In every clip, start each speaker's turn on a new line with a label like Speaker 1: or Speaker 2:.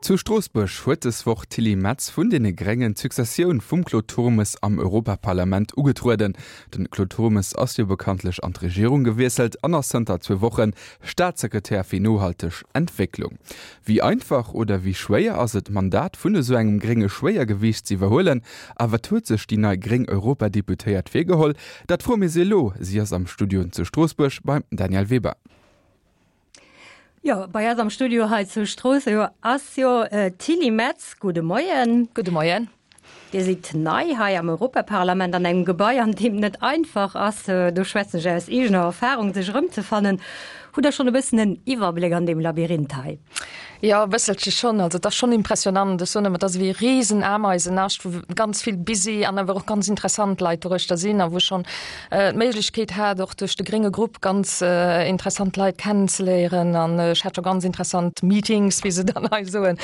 Speaker 1: Zu Stroossbuerg huet des Woch d'Tilly Metz vun deene Gréngen d'Successioun vum Claude Turmes am Europaparlament ugetrueden. Den Claude Turmes ass jo bekanntlech an d'Regierung gewiesselt an ass zënter zwou Woche Staatssekretär fir nohalteg Entwécklung. Wéi einfach oder wéi schwéier ass et, d'Mandat vun esou engem grénge Schwéiergewiicht ze iwwerhuelen? A wat huet sech déi nei gréng Europadeputéiert virgeholl? Dat froe mir si elo. Si ass am Studio zu Stroossbuerg beim Danièle Weber.
Speaker 2: Jo, bei eis am Studio hei zu Stroossbuerg ass jo d'Tilly Metz. Gudde Moien.
Speaker 3: Gudde Moien.
Speaker 2: Dir sidd nei hei am Europaparlament an engem Gebai, an deem net einfach ass, do schwätzen ech aus eegener Erfahrung, sech erëmzefannen. Hutt Der schonn e bëssen en Iwwerbléck an deem Labyrinth hei?
Speaker 3: Jo, e bësselche schonn. Also et ass schonn impressionant. Ech soen ëmmer, et ass ewéi e Riesenameisenascht, wou ganz vill busy an awer och ganz interessant Leit doruechter sinn a wou ech schonn d'Méiglechkeet hat, och duerch de grénge Grupp ganz interessant Leit kennenzeléieren. An ech hat scho ganz interessant Meetings, wéi se dann hei soen.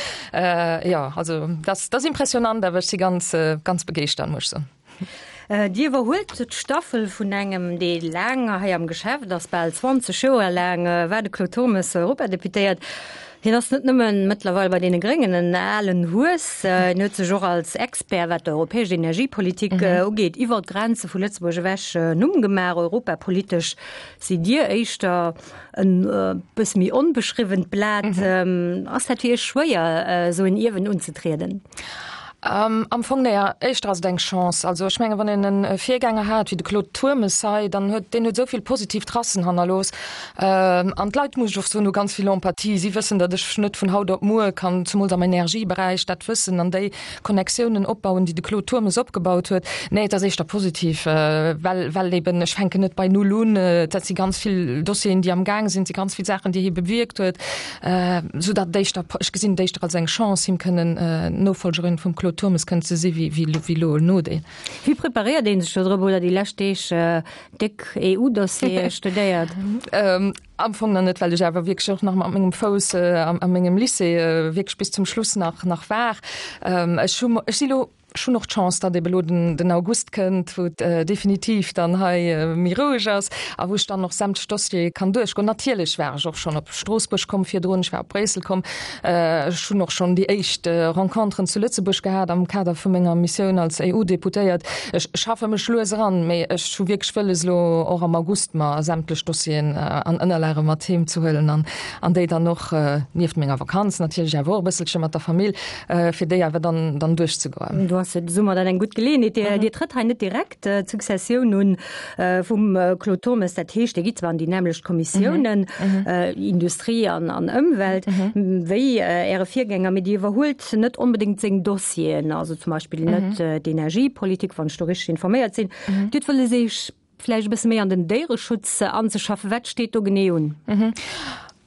Speaker 3: Jo, also dat ass impressionant, awer ech si ganz, ganz begeeschtert, muss ech soen.
Speaker 2: Dir iwwerhuelt d'Staffel vun engem, dee laang hei am Geschäft ass, bal 20 Joer laang war de Claude Turmes Europadeputéiert. Hien ass net nëmmen mëttlerweil bei deene Gréngen en alen Hues, hien huet sech och als Expert, wat d'europäesch Energiepolitik ugeet, iwwer d'Grenze vu Lëtzebuerg ewech en Numm gemaach. Europapolitesch sidd Dir éischter en bësse méi onbeschriwwent Blat. Ass dat fir Iech schwéier, esou en Ierwen unzetrieden?
Speaker 3: Am Fong, nee, éischter ass et eng Chance. Also ech mengen, wann een e Virgänger hat wéi de Claude Turmes hei, dann huet deen huet esou vill positiv Tracen hannerlooss. An d'Leit, muss ech och soen, hu ganz vill Empathie. Si wëssen, datt ech net vun haut op muer kann, zemools am Energieberäich, dat Wëssen an déi Connectiounen opbauen, déi de Claude Turmes opgebaut huet. Nee, et ass éischter positiv, well, well eben ech fänken net bei Null un. Dat si ganz vill Dossieren, déi am Gaang sinn, et si ganz vill Saachen, déi hie bewierkt huet. Sou datt et éischter, ech gesinn et éischter als eng Chance, him kënnen Nofolgerin vum Claude Turmes kënnen ze si wéi wéi elo en Nodeel.
Speaker 2: Wéi preparéiert ee sech do drop oder déi lescht Deeg déck EU-Dossiere studéiert?
Speaker 3: Am Fong nach net, well ech awer wierklech och nach mat mengem Fouss a mengem Lycée wierklech bis zum Schluss nach nach war. Ech hu, ech si lo Ech hunn och d'Chance, datt ebe lo den August kënnt, wou et definitiv dann hei méi roueg ass a wou ech dann och sämtlech Dossiere kann duerchgoen. Natierlech war ech och schonn op Stroossbuerg komm virdrun, ech war op Bréissel komm, ech hunn och schonn déi éischt Renconteren zu Lëtzebuerg gehat am Kader vu menger Missioun als EU-Deputéiert. Ech schaffe mech lues eran, mee ech hu wierklech wëlles, elo och am August mer sämtlech Dossieren an Ënnerlage mat heem ze huelen an déi dann och, nieft menger Vakanz natierlech awer och e bësselche mat der Famill, fir déi awer dann, dann duerchzegoen.
Speaker 2: Do ass de Summer dann eng gutt Geleeënheet. Dir, Dir trëtt hei net direkt d'Successioun un vum Claude Turmes. Dat heescht, Dir gitt zwar an déi nämmlecht Kommissiounen, Industrie an, an Ëmwelt, wéi Äre Virgänger, mee Dir iwwerhuelt net onbedéngt seng Dossieren, also zum Beispill net d'Energiepolitik, wann ech do richteg informéiert sinn. Dir hutt wëlles Iech vläicht e bësse méi an den Déiereschutz anzeschaffen. Wat steet do genee un?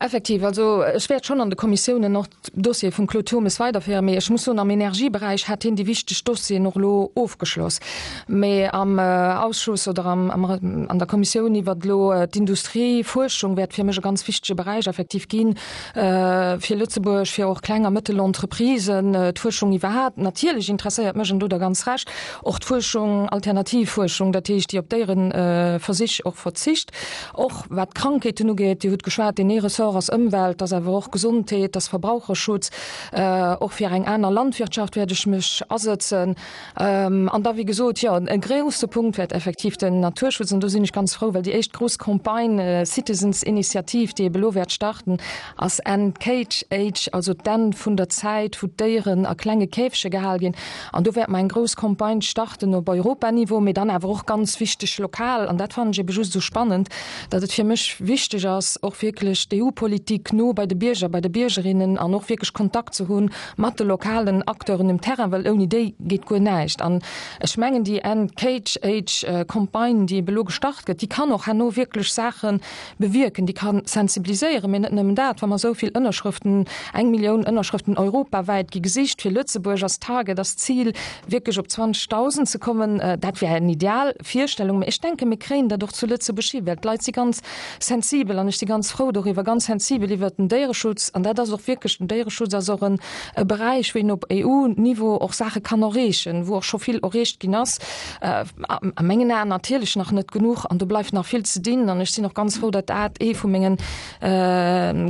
Speaker 3: Effektiv, also ech wäert schonn an de Kommissiounen och d'Dossiere vum Claude Turmes weiderféieren, mee ech muss soen, am Energieberäich hat hien déi wichteg Dossieren och elo ofgeschloss. Mee am Ausschuss oder am, an der Kommissioun iwwert elo d'Industriefuerschung wäert fir mech e ganz wichtege Beräich effektiv ginn, fir Lëtzebuerg, fir och kleng a mëttel Entreprisen, d'Fuerschung iwwerhaapt. Natierlech interesséiert mech, an do hutt Der ganz Recht, Och d'Fuerschung, alternativ Fuerschung, dat heescht déi op Déiereversich och verzicht, och wat d'Krankheeten ugeet. Dir hutt geschwat, deen ee Ressort ass Ëmwelt, ass awer och Gesondheet, ass Verbraucherschutz. Och fir eng aner Landwirtschaft wäert ech mech asëtzen. An da wéi gesot, jo, e grousse Punkt wäert effektiv den Naturschutz, an do sinn ech ganz frou, well déi éischt grouss Campagne Citizens Initiative, déi ebe lo wäert starten, ass End Cage Age, also d'Enn vun der Zäit, wou d'Déieren a klenge Käfege gehal ginn. An do wäerte mer eng grouss Campagne starten op Europaniveau, mee dann awer och ganz wichteg lokal. An dat fannen ech ebe just esou spannend, datt et fir mech wichteg ass, och wierklech d'EU-Politik no bei de Bierger, bei de Biergerinnen an och wierklech Kontakt ze hu mat de lokalen Acteuren um Terrain, well ouni déi geet guer näischt. An ech mengen, déi End Cage Age Campagne, déi ebe lo gestart gëtt, déi kann och herno wierklech Saache bewierken, déi ka sensibiliséieren, mee net nëmmen dat, wa mer esou vill Ënnerschrëften, eng Millioun Ënnerschrëften europawäit gi gesicht fir Lëtzebuerg ass Target, ass Zil, wierklech op 20.000 ze kommen, dat wär eng ideal Virstellung, mee ech denken, mir kréien dat och zu Lëtzebuerg hin, well d'Leit si ganz sensibel an ech si ganz frou doriwwer, ganz. sensibel iwwert den Déiereschutz an dat ass och wierklech, den Déiereschutz ass och en e Beräich, wou een op EU-Niveau och Saache kann erreechen, wou och scho vill erreecht ginn ass. A mengen Aen natierlech nach net genuch an do bleift nach vill ze dinn an ech sinn och ganz frou, datt dat ee vu mengen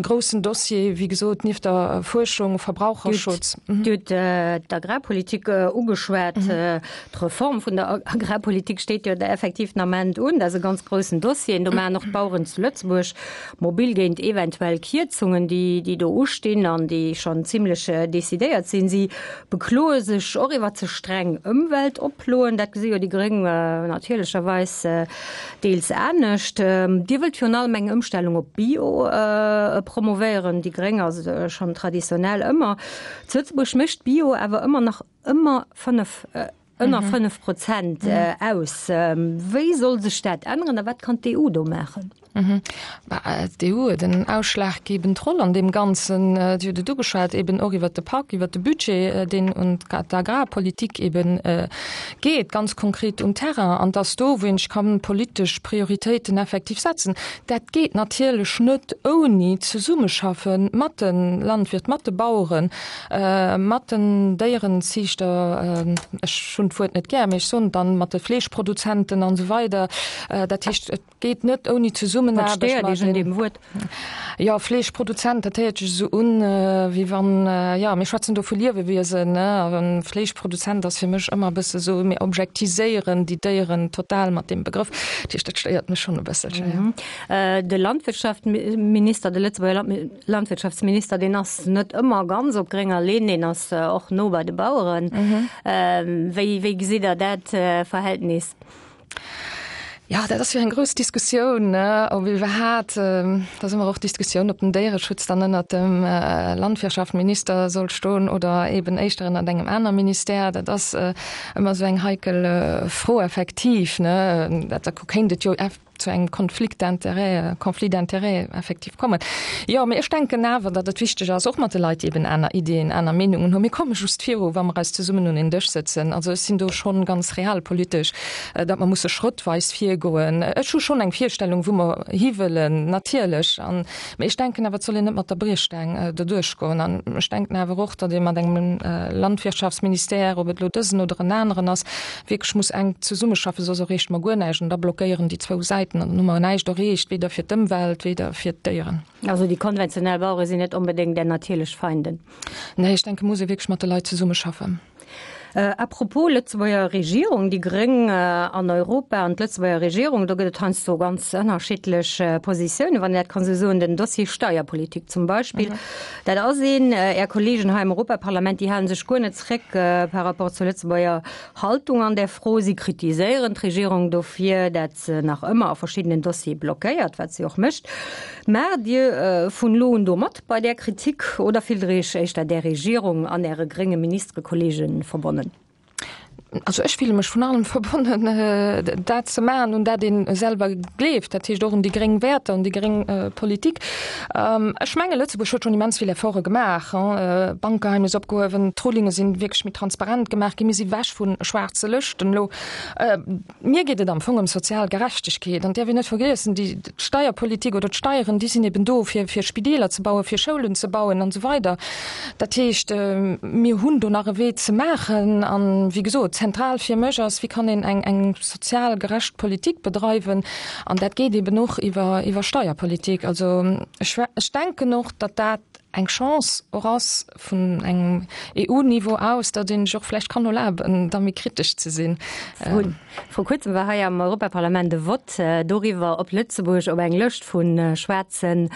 Speaker 3: groussen Dossier, wéi gesot, nieft der Fuerschung, Verbraucherschutz.
Speaker 2: Dir hutt d'Agrarpolitik ugeschwat. D'Reform vun der Agrarpolitik steet jo effektiv den Ament un. Dat ass e ganz groussen Dossier. Do maachen och d'Baueren zu Lëtzebuerg mobil géint eventuell Kierzungen, déi do ustinn an déi schonn zimlech decidéiert sinn. Si bekloe sech och iwwer ze streng Ëmweltoploen. Dat gesi jo déi Gréng natierlecherweis deels anescht. Dir wëllt virun allem eng Ëmstellung op Bio promovéieren. Déi Gréng ass schonn traditionell ëmmer. Zu Lëtzebuerg mécht Bio awer ëmmer nach ëmmer 5, ënner 5 Prozent aus. Wéi soll sech dat änneren a wat kann d'EU do maachen?
Speaker 3: D'EU huet en ausschlaggebend Roll an deem Ganzen. Dir hutt et ugeschwat, eben och iwwert de Pak, iwwert de Budget, deen un d'Agrarpolitik eben geet, ganz konkret um Terrain. An dass do, wou een sech kann politesch Prioritéiten effektiv setzen. Dat geet natierlech net ouni Zesummeschaffe mat de Landwirt, mat de Baueren, mat den Déierenziichter, ech hunn d'Wuert net gär, mee ech soen et dann, mat de Fleeschproduzenten an esou weider. Dat heescht, et geet net ouni
Speaker 2: Zesummenaarbecht. Wat stéiert Iech un deem Wuert?
Speaker 3: Jo, Fleeschproduzent, dat héiert sech esou un, wéi wann, jo, mir schwätzen do vu Liewewiesen, ne? A Fleeschproduzent ass fir mech ëmmer e bësse esou, mir objektiséieren déi Déieren total mat deem Begrëff. Dat heescht, dat stéiert mech schonn e bësselche,
Speaker 2: jo. De Landwirtschaftminister, de Lëtzebuerger Landwirtschaftsminister, deen ass net ëmmer ganz op grénger Linn, deen ass och no bei de Baueren. Wéi, wéi gesitt Der dat Verhältnis?
Speaker 3: Jo, dat ass jo eng grouss Diskussioun, ne, ob iwwerhaat, da si mer och d'Diskussioun, ob den Déiereschutz dann ënnert dem Landwirtschaftminister soll stoen oder eben éischter ënnert engem aner Ministère. Dat ass ëmmer esou eng heikel Fro effektiv, ne. Dat, da kéint et jo zu engem Konflikt d'intérêts, Conflit d'intérêts effektiv kommen. Jo, mee ech denken awer, datt et wichteg ass, och mat de Leit, déi eben aner Ideeën, aner Meenungen hunn. Mir komme just viru, wa mer eis zesummen un een Dësch sëtzen. Also ech sinn do schonn ganz realpolitesch, datt mer musse schrëttweis virgoen. Ech hu schonn eng Virstellung, wou mer hiwëllen, natierlech. An, mee ech denken awer, et soll een net mat der Briechstaang doduerch goen. An ech denken awer och, datt ee mat engem Landwirtschaftsministère, ob et elo dësen oder en aneren ass, wierklech muss enk zesummeschaffen, soss erreecht mer guer näischt an da blockéieren déi zwou Säiten an dann hu mer näischt erreecht, weder fir d'Ëmwelt, weder fir d'Déieren.
Speaker 2: Also déi konventionell Bauere sinn net onbedéngt Är natierlech Feinden?
Speaker 3: Nee, ech denke muss ee wierklech mat de Leit zesummeschaffen.
Speaker 2: À propos Lëtzebuerger Regierung, déi Gréng an Europa an d'Lëtzebuerger Regierung, do gëtt et heiansdo ganz ënnerschiddlech Positiounen, wann een dat kann esou soen. Den Dossier Steierpolitik zum Beispill, dat ass een. Är Kollegen hei am Europaparlament, déi hale sech guer net zréck par rapport zur Lëtzebuerger Haltung an där Fro. Si kritiséieren d'Regierung dofir, dat se nach ëmmer a verschiddenen Dossiere blockéiert, wat si och mécht. Maacht Dir vun elo un do mat bei där Kritik oder fillt Der Iech éischter där Regierung an Äre grénge Ministerekollege verbonnen?
Speaker 3: Also ech fille mech vun allem verbonnen, dat ze maachen, un dat ee selwer gleeft, dat heescht och un déi gréng Wäerter, un déi gréng Politik. Ech menge Lëtzebuerg huet schonn immens vill Efforte gemaach, Bankgeheimnis opgehuewen, d'Rulinge sinn wierklech méi transparent gemaach ginn, mir si wech vu schwaarze Lëschten elo. Mir geet et am Fong ëm sozial Gerechtegkeet. An däerf een net vergiessen, déi d'Steierpolitik oder d'Steieren, déi sinn eben do, fir fir Spideeler ze bauen, fir Schoulen ze bauen an esou weider. Dat heescht, mir hunn do nach e Wee ze maachen. An, wéi gesot, zentral fir mech ass, wéi kann een eng eng sozial gerecht Politik bedreiwen? An dat geet eben och iwwer iwwer Steierpolitik. Also ech ech denken och, datt dat eng Chance och ass vun engem EU-Niveau aus, datt een sech och vläicht kann erlaben, da méi kritesch ze sinn.
Speaker 2: Vru kuerzem war hei am Europaparlament e Vott doriwwer, ob Lëtzebuerg op eng Lëscht vu schwaarzen,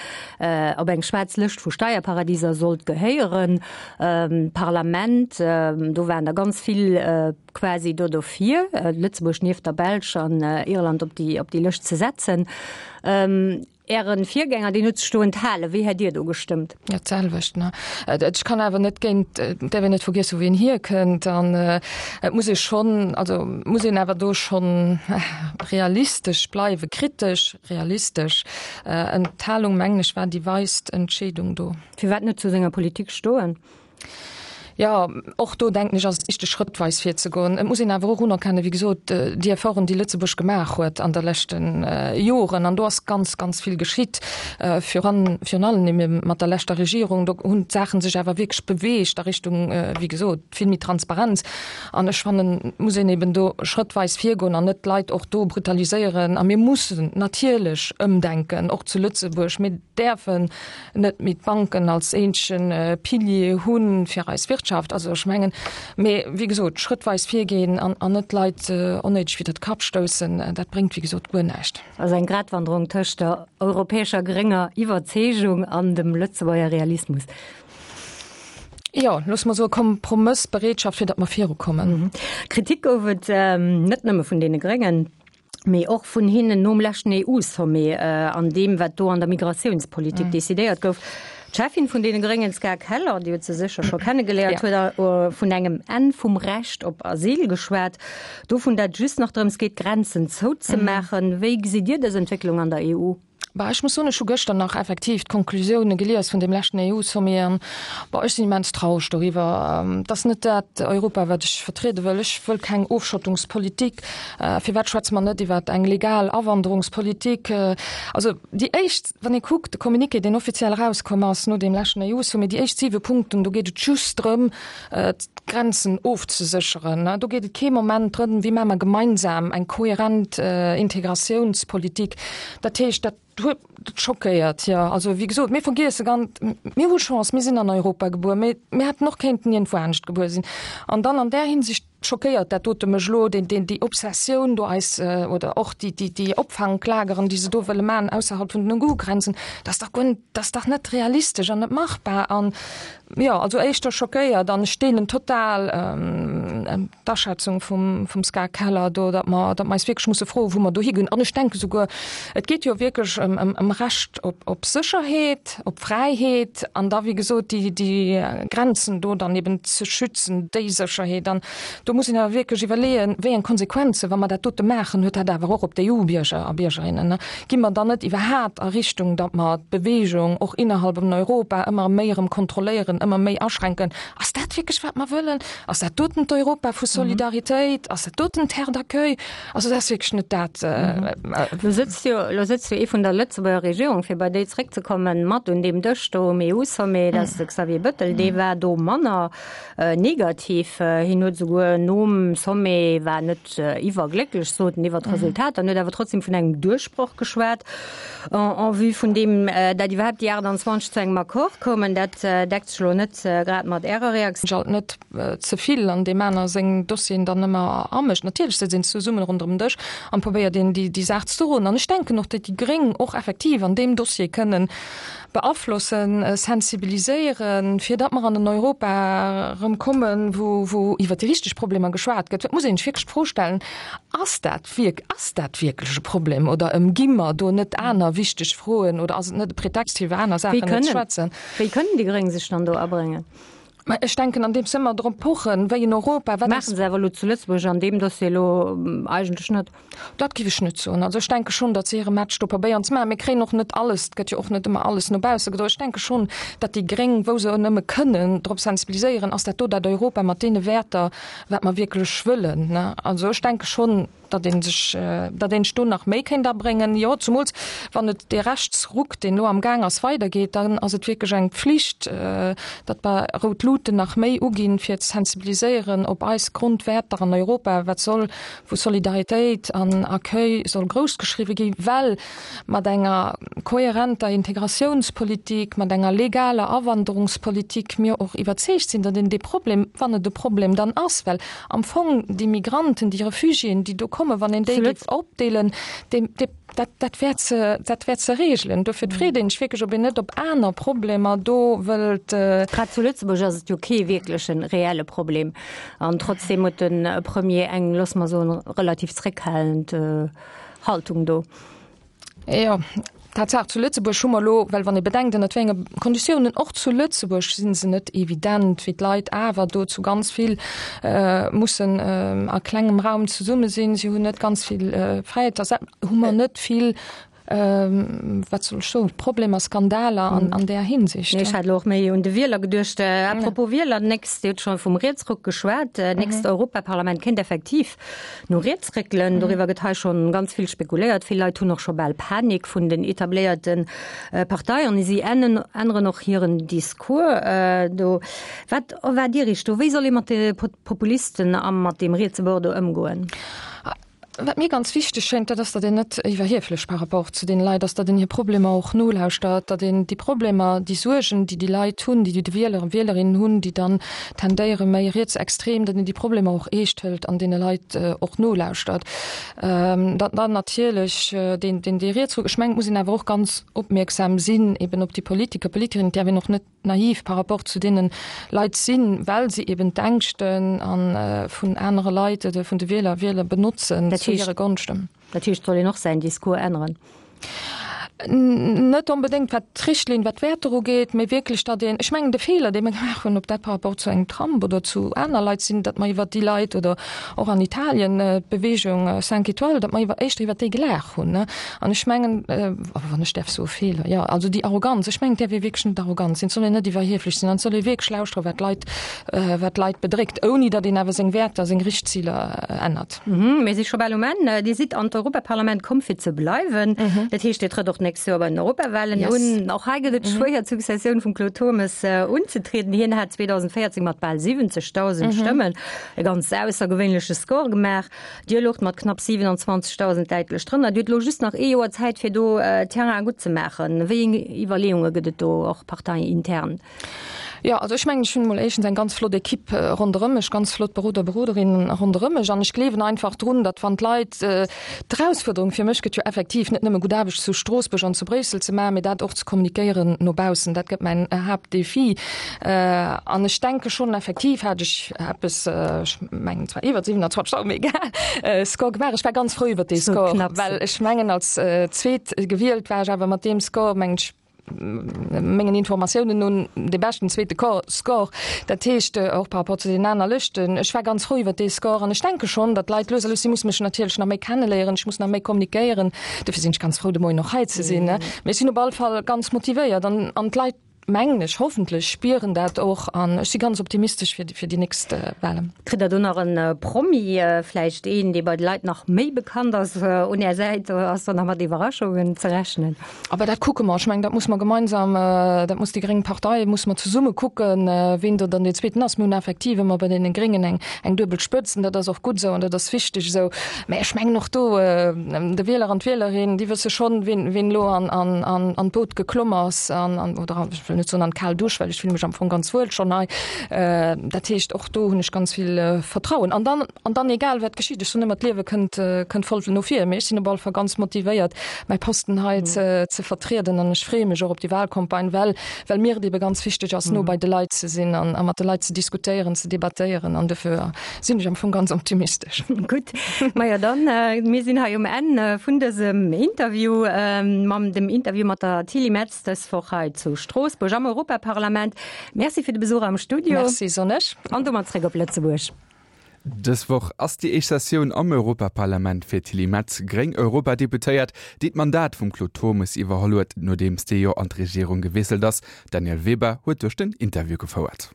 Speaker 2: op eng schwaarz Lëscht vu Steierparadiser sollt gehéieren. D'Parlament, do waren der ganz vill quasi do dofir, Lëtzebuerg nieft der Belsch an Irland op déi, op déi Lëscht ze setzen. Ären Virgänger, deen huet sech do enthalen. Wéi hätt Dir do gestëmmt?
Speaker 3: Jo, d'selwecht, ne. Ech kann awer net géint, et däerf een net vergiessen, wou een hierkënnt an et muss ee schonn, also muss een awer do schonn realistesch bleiwen, kritesch, realistesch. Enthalung, mengen ech, war déi weist Entscheedung do.
Speaker 2: Firwat net zu senger Politik stoen?
Speaker 3: Jo, och do denken ech, ass et wichteg, schrëttweis virzegoen. Et muss een awer och unerkennen, wéi gesot, déi Efforten, déi Lëtzebuerg gemaach huet an der leschte Joren, an do ass ganz, ganz vill geschitt, viran, virun allem ebe mat der leschter Regierung, do hunn d'Saache sech awer wierklech beweegt a Richtung, wéi gesot, vill méi Transparenz. An ech fannen, et muss een eben do schrëttweis virgoen an net d'Leit och do brutaliséieren. A mir mussen natierlech ëmdenken, och zu Lëtzebuerg. Mir däerfen net méi d'Banken als eenzege Pilier hu fir eis Wirtschaft. Also ech mengen, mee wéi gesot, schrëttweis virgeen an an net d'Leit onnéideg widder de Kapp stoussen, dat bréngt wéi gesot guer näischt.
Speaker 2: Also eng Gratwanderung tëscht der europäescher grénger Iwwerzeegung an dem Lëtzebuerger Realismus.
Speaker 3: Jo, loosse mer soe Kompromëssbereetschaft, fir datt mer virukommen.
Speaker 2: Kritik gouf et net nëmme vun deene Gréngen. mee och vun hinnen nom leschten EU-Sommet an deem, wat do an der Migratiounspolitik decidéiert gouf. D'Cheffin vun deene Gréngen, d'Ska Keller, Dir hutt se sécher scho kennegeléiert, huet vun engem Enn vum Recht op Asyl geschwat, dovun, datt et just nach drëms geet, d'Grenzen zouzemaachen. Wéi gesitt Dir dës Entwécklung an der EU?
Speaker 3: Bah, ech muss soen, ech hu gëschter nach effektiv d'Konklusioune gelies vun deem leschten EU-Sommet an, bon, ech sinn immens traureg doriwwer. Et ass net dat Europa, wat ech vertriede wëll. Ech wëll keng Ofschottungspolitik. Firwat schwätze mer net iwwer eng legal Awanderungspolitik? Also déi éischt, wann ee kuckt, de Communiqué, deen offiziell erauskomm ass no deem leschten EU-Sommet, déi éischt siwe Punkten, do geet et just drëm, d'Grenzen ofzesécheren. Do geet et kee Moment drëm, wéi maache mer gemeinsam eng kohärent Integratiounspolitik. Dat heescht, dat huet, dat schockéiert, jo. Also, wéi gesot, mir vergiesse ganz, mir hu Chance, mir sinn an Europa gebuer, mee mir hätten och kéinten iergendwou anescht gebuer sinn. An dann an där Hinsicht schockéiert dat dote mech elo, deen, deen, déi Obsessioun do eis, oder och déi, déi, déi Opfanklageren, déi se do wëlle maachen ausserhalb vun den EU-Grenzen, dat ass dach guer net, dat ass dach net realistesch an net machbar. An Jo, also éischter schockéiert an ech deelen total d'Aschätzung vum vum Ska Keller do, datt mer datt mer eis wierklech musse froen, wou mer dohi ginn. An ech denke souguer, et geet jo wierklech ëm ëm ëm Recht op op Sécherheet, op Fräiheet an da wéi gesot déi déi Grenzen do dann eben ze schützen, déi Sécherheet. An do muss een awer wierklech iwwerleeën, wéi eng Konsequenzen, wa mer dat dote maachen, huet dat awer och op d'EU-Bierger a Biergerinnen. Gi mer dann net iwwerhaapt a Richtung, datt mer d'Bewegung och innerhalb vun Europa ëmmer méi erëm kontrolléieren, ëmmer méi aschränken? Ass dat wierklech wat mer wëllen? Ass dat doten d'Europa vu Solidaritéit? Ass dat doten d'Terre d'accueil? Also dat ass wierklech net dat.
Speaker 2: Lo sëtzt jo, lo sëtzt jo ee vun der Lëtzebuerger Regierung, fir bei déi zréckzekommen, mat un deem Dësch do um EU-Sommet, dat ass de Xavier Bettel, dee war do manner negativ. Hien huet esouguer nom Sommet, war net, iwwerglécklech sot en iwwer d'Resultat an huet awer trotzdem vun engem Duerchbroch geschwat en vue vun deem, dat iwwerhaapt déi 28 zu engem Accord koumen. Dat deckt sech elo net grad mat Ärer Reaktioun.
Speaker 3: Alt net ze vill an deem aner seng Dossieren dann ëmmer amécht. Natierlech sëtzt een zesummen ronderëm den Dësch an probéiert een déi Saach ze droen. An ech denken och, datt déi Gréng och effektiv an deem Dossier kënnen beaflossen, sensibiliséieren, fir datt mer an en Europa erëm kommen, wou, wou iwwert déi richteg Problemer geschwat gëtt. Et muss een sech wierklech d'Fro stellen, Ass dat wierk, ass dat wierklech e Problem oder ëmgi mer do net aner wichteg Froen oder ass et net e Pretext, fir iwwer aner Saachen net ze schwätzen?
Speaker 2: Wéi kënnen déi Gréng sech dann do abréngen?
Speaker 3: Mä ech denken, andeems se ëmmer drop pochen, wéi en Europa,
Speaker 2: wat ass. Maache se awer elo zu Lëtzebuerg an deem Dossier elo eigentlech net.
Speaker 3: Dat géif ech net soen. Also ech denke schonn, datt se hire Match do probéieren ze maachen. Mir kréien och net alles, et gëtt jo och net ëmmer alles no bausse gedroen. Ech denke schonn, datt déi Gréng, wou se nëmme kënnen, drop sensibiliséieren, ass dat do dat Europa mat deene Wäerter, wat mer wierklech wëllen, ne? Also ech denke schonn, datt ee sech, datt een sech do nach méi kéint abréngen. Jo, zumools wann et dee Rechtsruck, deen elo am Gaang ass, weidergeet, dann ass et wierklech eng Pflicht, datt mer rout Luten nach méi uginn, fir ze sensibiliséieren op eis Grondwäerter an Europa, wat soll, wou Solidaritéit an Accueil soll groussgeschriwwe ginn, well mat enger kohärenter Integratiounspolitik, mat enger legaler Awanderungspolitik mir och iwwerzeegt sinn, datt een dee Problem, wann et e Problem dann ass, well am Fong déi Migranten, déi Refugiéen, déi do kommen, wann een déi géif opdeelen, dee, dee, dat, dat wär ze, dat wär ze regelen. Dofir freet een sech wierklech, ob een net op aner Problemer do wëllt.
Speaker 2: Grad zu Lëtzebuerg ass et jo kee wierkleche reelle Problem. An trotzdeem huet de Premier eng, loosse mer soen, relativ zréckhalend Haltung do.
Speaker 3: Jo, Tatsaach, zu Lëtzebuerg hu mer elo, well wann ee bedenkt, ënnert wéi enge Konditiounen, och zu Lëtzebuerg si se net evident, wéi d'Leit awer do zu ganz vill mussen a klengem Raum zesumme sinn, si hunn net ganz vill Fräiheet, da hu mer net vill. Wat soll ech soen, Problemer, Skandaler an, an där Hinsicht.
Speaker 2: Nee, ech hat elo och méi un de Wieler geduecht. À propos Wieler, d'nächst, Dir hutt scho vum Rietsruck geschwat, d'nächst Europaparlament kéint effektiv no riets réckelen. Doriwwer gëtt hei schonn ganz vill spekuléiert. Vill Leit hunn och scho bal Panik vun den etabléierte Parteien. Si änneren och hiren Discours do. Wat erwaart Dir Iech do? Wéi soll ee mat de Populisten a mat deem rietse Bord do ëmgoen?
Speaker 3: Wat mir ganz wichteg schéngt, dat ass, datt een net iwwerhieflech par rapport zu deene Leit ass, datt een hir Problemer och nolauschtert, datt een déi Problemer, déi Suergen, déi déi Leit hunn, déi déi Wieler a Wielerinnen hunn, déi dann tendéiere méi rietsextrem, datt een déi Problemer och eescht hëlt an deene Leit och nolauschtert. Datt dann natierlech deen, deen dee Rietsruck, ech mengen, et muss een awer och ganz opmierksam sinn eben op déi Politiker, Politikerinnen, et däerf een och net, naiv par rapport zu deene Leit sinn, well se eben d'Ängschten a vun anere Leit oder vun de Wieler a Wieler benotzen zu hire Gonschten.
Speaker 2: Dat heescht, et soll een och säin Discours änneren?
Speaker 3: Net onbedéngt wat d'Richtlinn, wat d'Wäerter ugeet, mee wierklech, datt een, ech mengen de Feeler, dee mir gemaach hunn, ob dat par rapport zu engem Trump oder zu aner Leit sinn, datt mer iwwert déi Leit oder och an Italien d'Bewegung Cinq Étoiles, datt mer iwwer éischter iwwert déi gelaach hunn. An ech mengen, wann ech däerf soen, Feeler, jo, also déi Arroganz, ech mengen, et däerf ee wierklech net arrogant sinn, et soll een net iwwerhieflech sinn an et soll ee wierklech lauschteren, wat d'Leit, wat d'Leit bedréckt, ouni datt een awer seng Wäerter, seng Richtziler ännert.
Speaker 2: Mir si scho bal um Enn. Dir sidd an d'Europaparlament komm fir ze bleiwen. Dat heescht, Dir trëtt och d'nächst Joer bei den Europawahlen un. Och hei gëtt et schwéier, d'Successioun vum Claude Turmes unzetrieden. Hien hat 2014 mat bal 70.000 Stëmmen e ganz aussergewéinleche Score gemaach. Dir loucht mat knapp 27.000 däitlech drënner. Dir hutt elo just nach ee Joer Zäit, fir do Terrain gutt ze maachen. Wéi eng Iwwerleeunge gëtt et do och parteiintern?
Speaker 3: Jo, also ech mengen, ech hunn emol éischtens eng ganz flott Ekipp ronderëm mech, ganz flott Beroder, Beroderinnen ronderëm mech an ech gleewen einfach drun, datt wann d'Leit, d'Erausfuerderung fir mech gëtt jo effektiv net nëmme gutt Aarbecht zu Stroossbuerg an zu Bréissel ze maachen, mee dat och ze kommunikéieren no baussen, dat gëtt mäin Haaptdefi. An ech denke schonn, effektiv hat ech eppes, ech mengen zwar iwwer 27.000, mee egal, Score gemaach. Ech war ganz frou iwwer dee Score, well ech mengen als Zweet gewielt war ech awer mat deem Score, mengen ech, mengen Informatiounen no dee beschten zweete Score. Dat heescht och par rapport zu deenen aner Lëschten. Ech war ganz frou iwwer dee Score an ech denke schonn, datt d'Leit lues a lues, si musse mech natierlech nach méi kenneléieren, ech muss nach méi kommunikéieren, dofir sinn ech ganz frou de Moien och hei ze sinn. Mee ech sinn op alle Fall ganz motivéiert an an d'Leit, mengen ech, hoffentlech spieren dat och an ech si ganz optimistesch fir fir déi nächst Wahlen.
Speaker 2: Kritt Der do nach en Promi, vläicht een, dee bei de Leit nach méi bekannt ass, un Är Säit? Ass do nach mat Iwwerraschungen ze rechnen?
Speaker 3: Aber dat kucke mer. Ech mengen, dat muss mer gemeinsam, dat muss déi gréng Partei, muss mer zesumme kucken, ween do dann deen Zweeten ass. Mir hunn effektiv ëmmer bei deene Gréngen eng eng duebel Spëtzt an dat ass och gutt esou an dat ass wichteg esou. Mä ech mengen och do, de Wieler an d'Wielerin, déi wësse schonn, wien wien elo an an an an d'Boot geklomm ass an an oder ech wëll net soen an d'kal Dusch, well ech fille mech am Fong ganz wuel schonn hei. Dat heescht, och do hunn ech ganz vill Vertrauen. An dann an dann egal wat geschitt, ech soen ëmmer, d'Liewe kënnt kënnt voll no vir, mee ech sinn op alle Fall ganz motivéiert, mäi Posten hei ze ze vertrieden an ech freeë mech och op déi Wahlcampagne, well well mir et ebe ganz wichteg ass, no bei de Leit ze sinn an a mat de Leit ze diskutéieren, ze debattéieren an dofir sinn ech am Fong ganz optimistesch.
Speaker 2: Gutt, majo dann, mir sinn hei um Enn vun dësem Interview, mam dem Interview mat der Tilly Metz dës Woch hei zu Stroossbuerg am Europaparlament. Merci fir de Besuch am Studio.
Speaker 3: Merci, soen ech.
Speaker 2: An domat zréck op Lëtzebuerg.
Speaker 1: Dës Woch ass déi éischt Sessioun am Europaparlament fir d'Tilly Metz, gréng Europadeputéiert, déi d'Mandat vum Claude Turmes iwwerholl huet, nodeems dee jo an d'Regierung gewiesselt ass. D'Danièle Weber huet duerch den Interview gefouert.